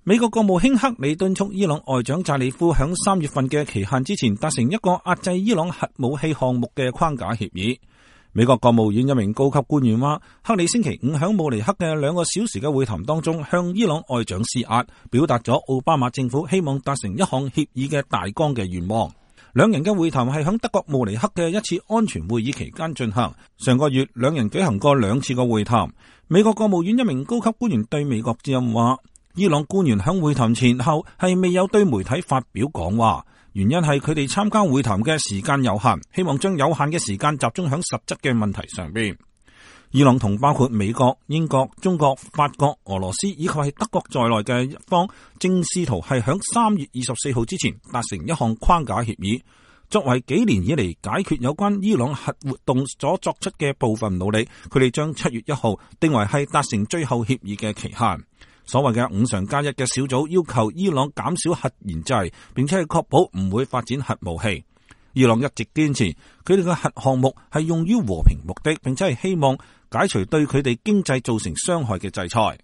美國國務卿克里敦促伊朗外長扎里夫響3月份嘅期限之前達成一個壓制伊朗核武器項目嘅框架協議。美國國務院一名高級官員話，克里星期五響慕尼黑嘅2個小時嘅會談當中，向伊朗外長施壓，表達咗奧巴馬政府希望達成一項協議嘅大綱嘅願望。兩人嘅會談係響德國慕尼黑嘅一次安全會議期間進行。上個月兩人舉行過2次嘅會談。美國國務院一名高級官員對美國之音話，伊朗官員響會談前後係未有對媒體發表講話，原因係佢哋參加會談嘅時間有限，希望將有限嘅時間集中響實質嘅問題上邊。伊朗同包括美國、英國、中國、法國、俄羅斯以及係德國在內嘅一方，正試圖係響3月24號之前達成一項框架協議，作為幾年以嚟解決有關伊朗核活動所作出嘅部分努力。佢哋將7月1號定為係達成最後協議嘅期限。所謂嘅5常加1嘅小組要求伊朗減少核研製，並且係確保唔會發展核武器。伊朗一直堅持佢哋嘅核項目係用於和平目的，並且係希望解除對佢哋經濟造成傷害嘅制裁。